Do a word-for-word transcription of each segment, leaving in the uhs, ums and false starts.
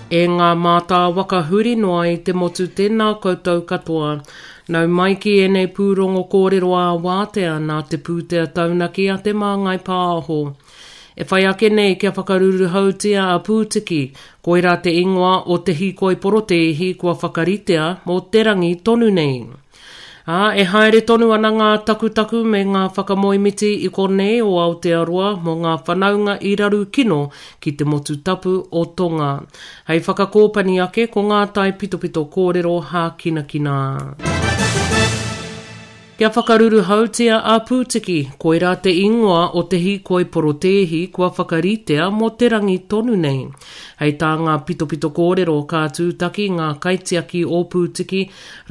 E ngā mātāwaka huri noa i te motu tēnā koutou katoa. Nau mai ki ēnei pūrongo kōrero ā-wātea nā te pūtea taunaki a Te Māngai Pāho. E whai ake nei kia whakaruruhautia a Pūtiki, koirā te ingoa o te hīkoi porotēhi kua whakaritea mō te rangi tonu nei. Ā, e haere tonu ana ngā takutaku me ngā whakamoemiti i konei o Aotearoa mō ngā whanaunga i raru kino ki te motu tapu o Tonga. Hei whakakōpani ake ko ngā taipitopito kōrero hākinakina. Kia whakaruruhautia a Pūtiki, koirā te ingoa o te hīkoi porotēhi kua whakaritea mō te rangi tonu nei. Hei tā ngā pitopito kōrero ka tūtaki ngā kaitiaki o Pūtiki,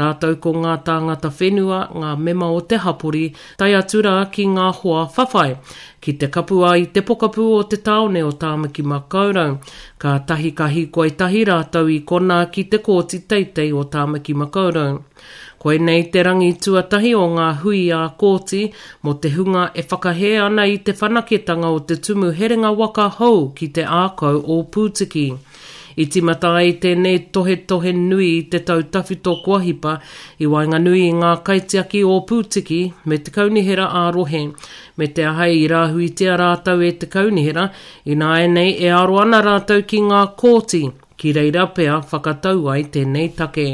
rātou ko ngā tāngata whenua, ngā mema o te hapori, tae atu rā ki ngā hoa whawhai, ki te kapua i te pokapū o te tāone o Tāmaki Makaurau. Kātahi ka hīkoi tahi rātou i konā ki te Kōti Teitei o Tāmaki Makaurau. Koinei te rangi tuatahi o ngā hui ā-kōti mō te hunga e whakahē ana i te whanaketanga o te tumu herenga waka hou ki te ākau o Pūtiki. I tīmata ai tēnei tohetohe nui i te tau tawhito kua hipa i waenganui i ngā kaitiaki o Pūtiki me te kaunihera ā-rohe, me te aha i rāhuitia rātou e te kaunihera, ināianei e aro ana rātou ki ngā kōti, ki reira pea whakatau ai tēnei take.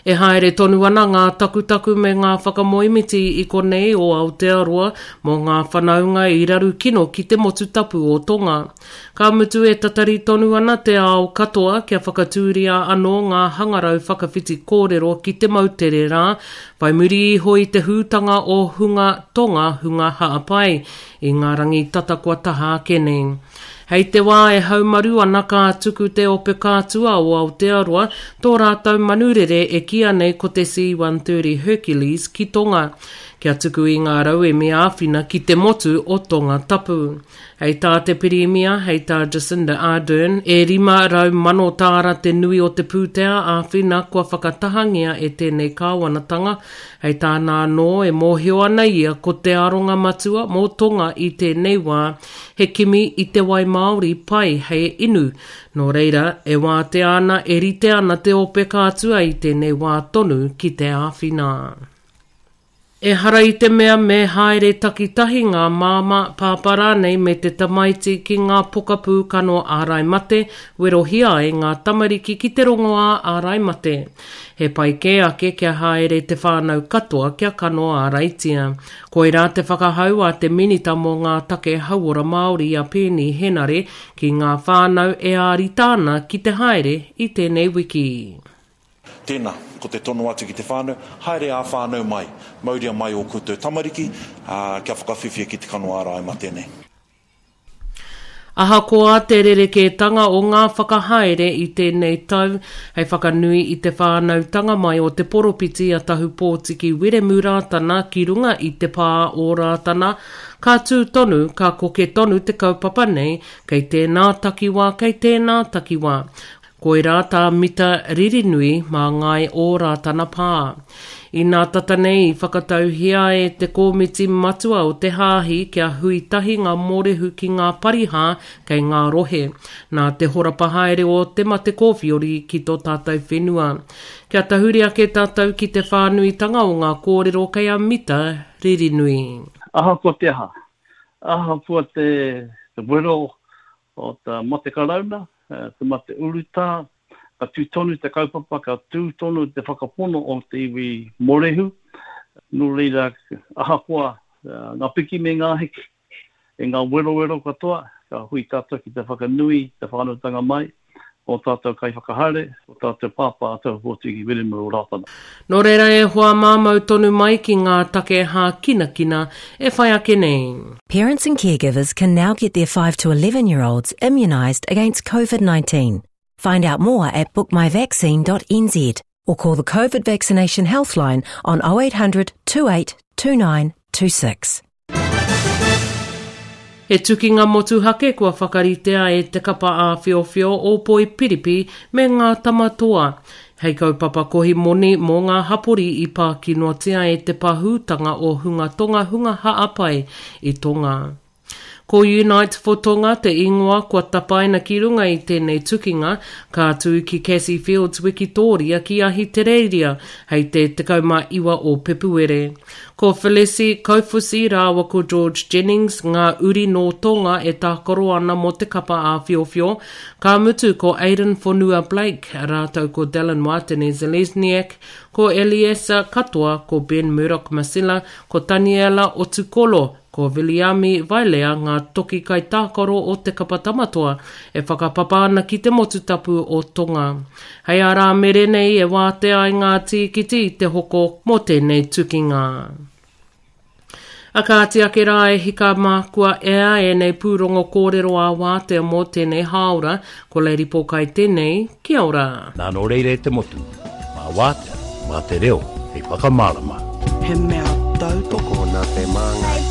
E haere tonu ana ngā takutaku me ngā whakamoemiti i konei o Aotearoa mō ngā whanaunga i raru kino ki te motu tapu o Tonga. Ka mutu e tatari tonu ana te ao katoa kia whakatūria anō ngā hangarau whakawhiti kōrero ki te moutere rā, whai muri iho i te hūtanga o hunga Tonga hunga hāpai i ngā rangi tata kua taha ake nei. Hei te wā e haumaru ana ka tuku te ope kātua o Aotearoa tō rātou manurere e kīia nei ko te C one thirty Hercules ki Tonga, kia tuku i ngā rauemi āwhina ki te motu o Tonga Tapu. Hei tā te Pirimia, hei tā Jacinda Ardern, e rima rau mano tāra te nui o te pūtea āwhina kua whakatahangia e tēnei kāwanatanga. Hei tāna anō, e mōhio ana ia ko te aronga matua mō Tonga i tēnei wā, he kimi i te wai Māori pai hei inu. Nō reira, e wātea ana, e rite ana te ope kātua i tēnei wā tonu ki te āwhina. Ehara i te mea me haere takitahi ngā māmā, pāpā rānei me te tamaiti ki ngā pokapū kano ārai mate, werohia ai ngā tamariki ki te rongoā ārai mate. He pai kē ake kia haere te whānau katoa kia kano āraitia. Koirā te whakahau a te Minita mō ngā Take Hauora Māori a Peeni Henare ki ngā whānau e ārita ana ki te haere i tēnei wiki. Tēnā, ko te tono atu ki te whānau, haere ā-whānau mai, mauria mai ō koutou tamariki, ā, kia whakawhiwhia ki te kano ārai mate nei. Ahakoa te rerekētanga o ngā whakahaere i tēnei tau hei whakanui i te whānautanga mai o te poropiti a Tahupōtiki Wiremu Rātana ki runga i te pā o Rātana, ka tū tonu, ka koke tonu te kaupapa nei kei tēnā takiwā, kei tēnā takiwā. Koirā tā Mita Ririnui mā Ngāi o Rātana Pā. Inā tata nei i whakatauhia e te Kōmiti Matua o te Hāhi kia hui tahi ngā mōrehu ki ngā parihā kei ngā rohe, nā te horapa haere o te mate kōwhiori ki tō tātou whenua. Kia tahuri ake tātou ki te whānuitanga o ngā kōrero kei a Mita Ririnui. Ahakoa te aha, ahakoa te wero o te mate karauna, te mate urutā, ka tū tonu te kaupapa, ka tū tonu te whakapono o te iwi mōrehu. Nō reira, ahakoa ngā piki me ngā heke, e ngā werowero katoa, ka hui tātou ki te whakanui, te whānautanga mai, o tātou kaiwhakahaere, o tātou pāpā a Tahupōtiki Wiremu Rātana. Nō reira e hoa māmau tonu mai ki ngā take hākinakina e whai ake nei. Parents and caregivers can now get their five to eleven year olds immunised against COVID nineteen. Find out more at book my vaccine dot n z or call the COVID Vaccination Healthline on oh eight hundred two eight two nine two six. He tukinga motuhake kua whakaritea e te kapa āwhiowhio o Poipiripi me ngā tamatoa. Hei kaupapa kohi moni mō ngā hapori i pākinoatia e te pahūtanga o hunga tonga hunga haapai i Tonga. Ko Unite for Tonga te ingoa kua tapaina ki runga i tēnei tukinga, ka tū ki Cassie Fields Wikitoria ki Ahitereiria hei te tekau mā iwa o Pepuere. Ko Felesi Kaufusi rāua ko George Jennings ngā uri nō Tonga e tākaro ana mō te kapa āwhiowhio, ka mutu ko Aiden Fonua Blake rātou ko Dallin Watene-Zelezniak, ko Eliesa Katoa, ko Ben Murdoch Masila, ko Taniela Otukolo, ko Viliami Vailea ngā toki kaitākaro o te kapa Tamatoa e whakapapa ana ki te motu tapu o Tonga. Hei a Rāmere nei e wātea ai ngā tīkiti i te hoko mō tēnei tukinga. A kāti ake rā e hika mā kua ea ēnei pūrongo kōrero ā wātea mō tēnei hāora, ko Lady Pōkai tēnei, kia ora. Nā nō reira e te motu, mā wātea, mā te reo, hei whakamārama. He mea tautoko. Tokona te māngai.